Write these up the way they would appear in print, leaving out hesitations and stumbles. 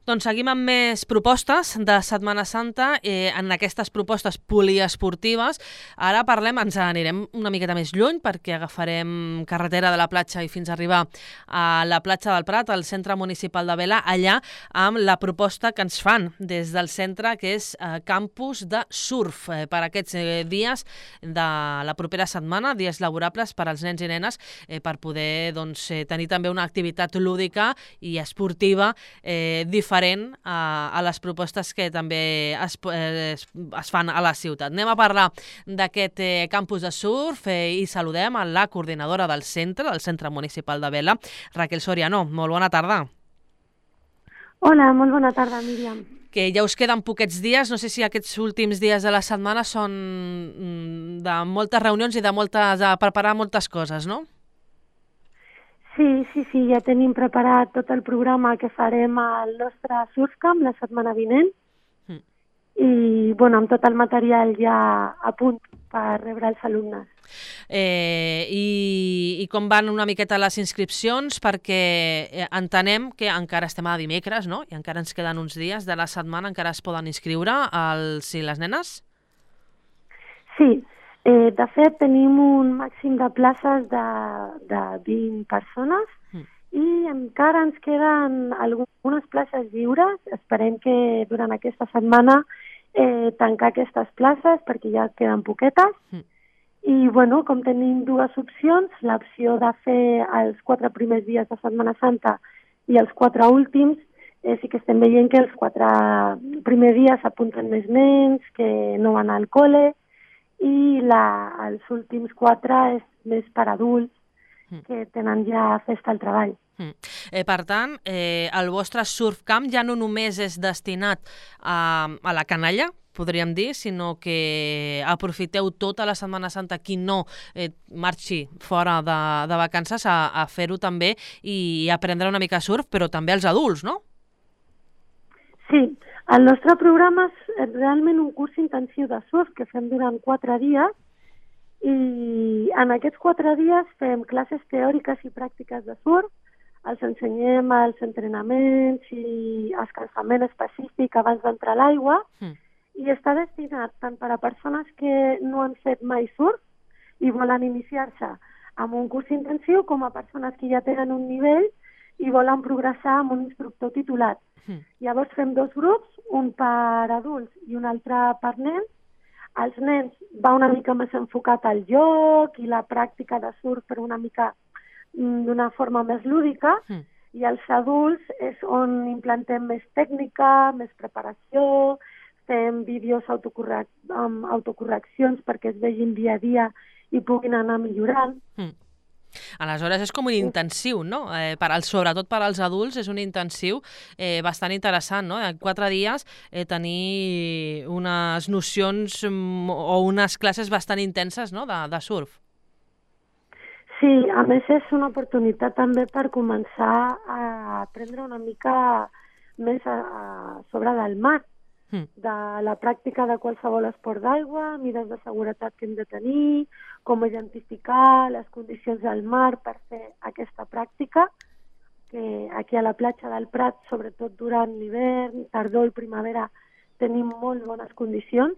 Doncs seguim amb més propostes de Setmana Santa, en aquestes propostes poliesportives. Ara ens anirem una miqueta més lluny perquè agafarem carretera de la platja i fins a arribar a la platja del Prat, al centre municipal de Vela, allà amb la proposta que ens fan des del centre, que és campus de surf per aquests dies de la propera setmana, dies laborables per als nens i nenes, per poder tenir també una activitat lúdica i esportiva diferent a les propostes que també es fan a la ciutat. Anem a parlar d'aquest campus de surf i saludem a la coordinadora del Centre Municipal de Vela, Raquel Soriano. Molt bona tarda. Hola, molt bona tarda, Míriam. Que ja us queden poquets dies, no sé si aquests últims dies de la setmana són de moltes reunions i de preparar moltes coses, no? Sí, ja tenim preparat tot el programa que farem al nostre Surfcamp la setmana vinent i amb tot el material ja a punt per rebre els alumnes. I com van una miqueta les inscripcions? Perquè entenem que encara estem a dimecres, no? I encara ens queden uns dies de la setmana, encara es poden inscriure els i les nenes? Sí. De fet, tenim un màxim de places de 20 persones i encara ens queden algunes places lliures. Esperem que durant aquesta setmana tancar aquestes places perquè ja queden poquetes. I, com tenim dues opcions, l'opció de fer els 4 primers dies de Setmana Santa i els 4 últims, sí que estem veient que els 4 primers dies s'apunten més nens que no van al col·le, i els últims 4 és més per adults que tenen ja festa al treball. Per tant, el vostre surfcamp ja no només és destinat a la canalla, podríem dir, sinó que aprofiteu tota la Setmana Santa qui no marxi fora de vacances a fer-ho també i aprendre una mica surf, però també els adults, no? Sí, el nostre programa és realment un curs intensiu de surf que fem durant 4 dies i en aquests 4 dies fem classes teòriques i pràctiques de surf, els ensenyem els entrenaments i escalfament específic abans d'entrar a l'aigua i està destinat tant per a persones que no han fet mai surf i volen iniciar-se en un curs intensiu com a persones que ja tenen un nivell i volen progressar amb un instructor titulat. Llavors fem 2 grups, un per adults i un altre per nens. Els nens va una mica més enfocat al joc i la pràctica de surf per una mica d'una forma més lúdica i els adults és on implantem més tècnica, més preparació, fem vídeos amb autocorreccions perquè es vegin dia a dia i puguin anar millorant. Aleshores és com un intensiu, no? Sobretot per als adults és un intensiu bastant interessant, no? En 4 dies tenir unes nocions o unes classes bastant intenses, no? de surf. Sí, a més és una oportunitat també per començar a aprendre una mica més sobre del mar, de la pràctica de qualsevol esport d'aigua, mides de seguretat que hem de tenir, com identificar les condicions del mar per fer aquesta pràctica, que aquí a la platja del Prat, sobretot durant l'hivern, tardor i primavera, tenim molt bones condicions.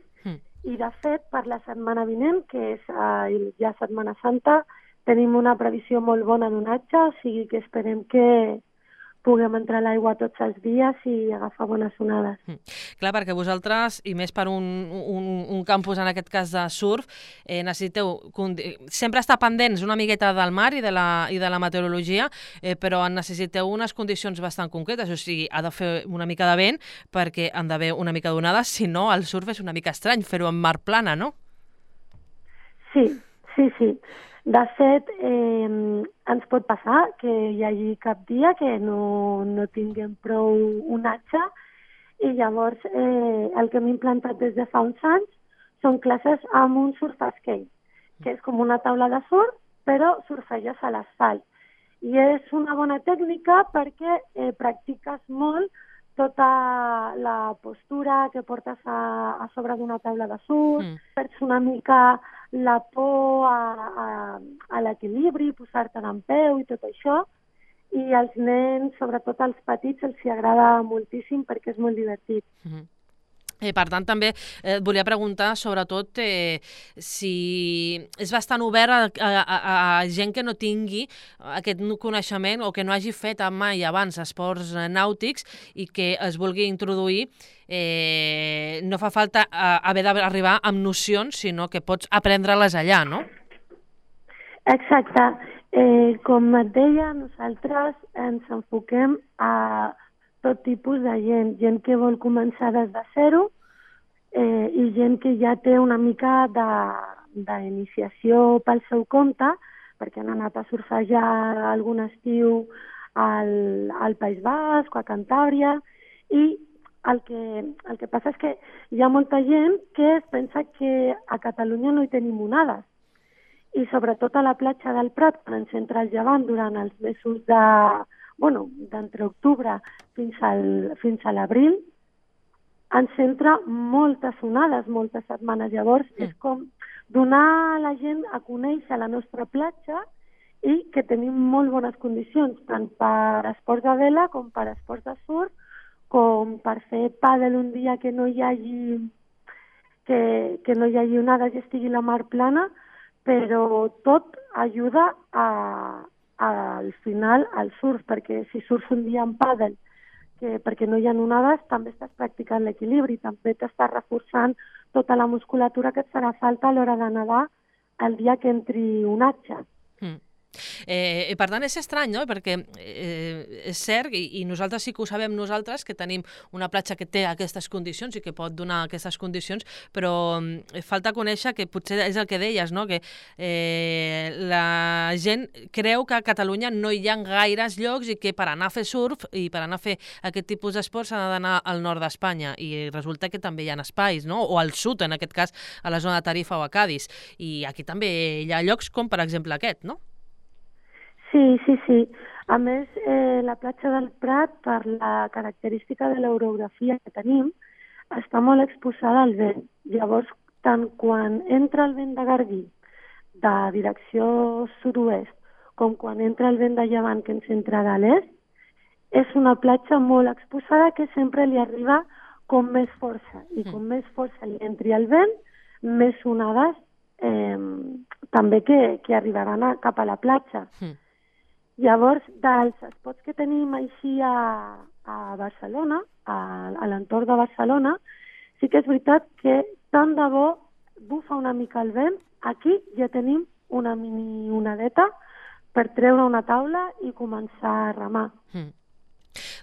I de fet, per la setmana vinent, que és ja Setmana Santa, tenim una previsió molt bona d'onatge, o sigui que esperem que puguem entrar a l'aigua tots els dies i agafar bones onades. Clar, perquè vosaltres, i més per un campus en aquest cas de surf, necessiteu sempre estar pendents una miqueta del mar i de la meteorologia, però necessiteu unes condicions bastant concretes, o sigui, ha de fer una mica de vent perquè han d'haver una mica d'onades, si no el surf és una mica estrany fer-ho en mar plana, no? Sí. De fet, ens pot passar que hi hagi cap dia que no tinguem prou onatge i llavors el que hem implantat des de fa uns anys són classes amb un surf skate, que és com una taula de surf, però surfeges a l'asfalt. I és una bona tècnica perquè practiques molt tota la postura que portes a sobre d'una taula de surf, perds una mica la por a l'equilibri, posar-te d'en peu i tot això, i als nens, sobretot als petits, els hi agrada moltíssim perquè és molt divertit. Per tant, també et volia preguntar, sobretot, si és bastant obert a gent que no tingui aquest coneixement o que no hagi fet mai abans esports nàutics i que es vulgui introduir. No fa falta haver d'arribar amb nocions, sinó que pots aprendre-les allà, no? Exacte. Com et deia, nosaltres ens enfoquem a tot tipus de gent que vol començar des de zero i gent que ja té una mica d'iniciació pel seu compte, perquè han anat a surfejar algun estiu al País Basc o a Cantàbria, i el que passa és que hi ha molta gent que es pensa que a Catalunya no hi tenim onades, i sobretot a la platja del Prat, quan ens entra el llevant durant els mesos d'entre octubre fins a l'abril, ens entra moltes onades, moltes setmanes. Llavors, és com donar a la gent a conèixer la nostra platja i que tenim molt bones condicions, tant per esports de vela com per esports de surf, com per fer pàdel un dia que no hi hagi onades i estigui la mar plana, però tot ajuda al final al surf, perquè si surts un dia en pàdel perquè no hi ha onades, també estàs practicant l'equilibri, també t'estàs reforçant tota la musculatura que et farà falta a l'hora de nedar el dia que entri onatge. Per tant, és estrany, no? Perquè és cert, i nosaltres sí que ho sabem nosaltres, que tenim una platja que té aquestes condicions i que pot donar aquestes condicions, però falta conèixer que potser és el que deies, no? Que la gent creu que a Catalunya no hi ha gaires llocs i que per anar a fer surf i per anar a fer aquest tipus d'esports s'ha d'anar al nord d'Espanya, i resulta que també hi ha espais, no? O al sud, en aquest cas, a la zona de Tarifa o a Cádiz, i aquí també hi ha llocs com, per exemple, aquest, no? Sí. A més, la platja del Prat, per la característica de l'orografia que tenim, està molt exposada al vent. Llavors, tant quan entra el vent de Garbí, de direcció sud-oest, com quan entra el vent de llevant, que ens entra de l'est, és una platja molt exposada que sempre li arriba com més força. I com més força li entri el vent, més onades també que arribaran cap a la platja. Llavors, dels esports que tenim així a Barcelona, a l'entorn de Barcelona, sí que és veritat que tant de bo bufa una mica el vent, aquí ja tenim una mini onadeta per treure una taula i començar a remar.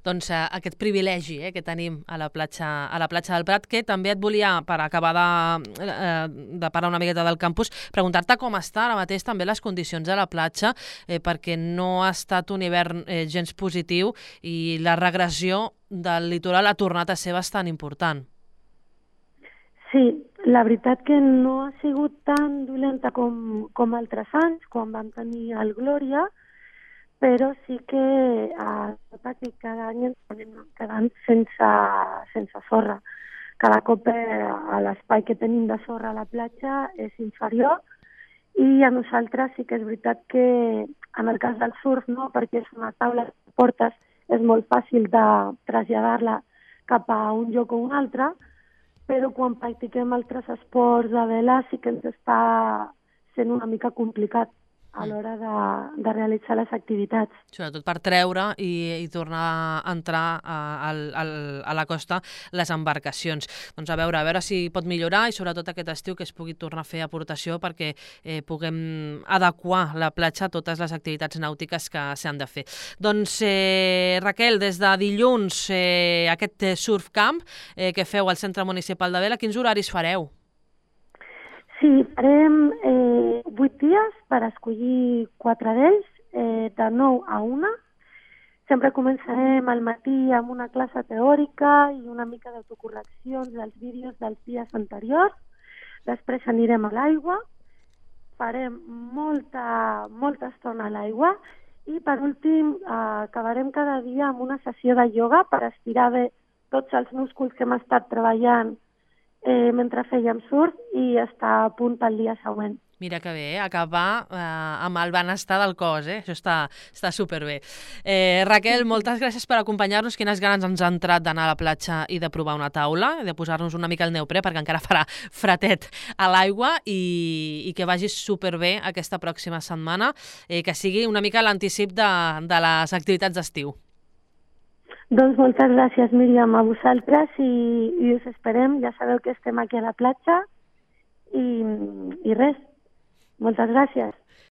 Doncs aquest privilegi que tenim a la platja del Prat, que també et volia, per acabar de parlar una miqueta del campus, preguntar-te com està ara mateix també les condicions de la platja, perquè no ha estat un hivern gens positiu i la regressió del litoral ha tornat a ser bastant important. Sí, la veritat que no ha sigut tan dolenta com altres anys, quan vam tenir el Glòria, però sí que cada any ens anem quedant sense sorra. Cada cop l'espai que tenim de sorra a la platja és inferior, i a nosaltres sí que és veritat que en el cas del surf, no, perquè és una taula que portes, és molt fàcil de traslladar-la cap a un lloc o un altre, però quan practiquem altres esports de vela sí que ens està sent una mica complicat a l'hora de realitzar les activitats. Sobretot per treure i tornar a entrar a la costa les embarcacions. Doncs a veure si pot millorar, i sobretot aquest estiu que es pugui tornar a fer aportació perquè puguem adequar la platja a totes les activitats nàutiques que s'han de fer. Doncs Raquel, des de dilluns aquest surf camp que feu al Centre Municipal de Vela, quins horaris fareu? Sí, farem 8 dies per escollir 4 d'ells, de 9 a 1. Sempre començarem al matí amb una classe teòrica i una mica d'autocorreccions dels vídeos dels dies anteriors. Després anirem a l'aigua, farem molta estona a l'aigua, i per últim acabarem cada dia amb una sessió de ioga per estirar bé tots els músculs que hem estat treballant mentre fèiem surf i estar a punt pel dia següent. Mira que bé, acabar amb el benestar del cos, això està superbé. Raquel, moltes gràcies per acompanyar-nos. Quines ganes ens ha entrat d'anar a la platja i de provar una taula, i de posar-nos una mica el neoprè, perquè encara farà fretet a l'aigua, i que vagi superbé aquesta pròxima setmana, que sigui una mica l'anticip de les activitats d'estiu. Doncs moltes gràcies, Míriam, a vosaltres, i us esperem. Ja sabeu que estem aquí a la platja, i res, moltes gràcies.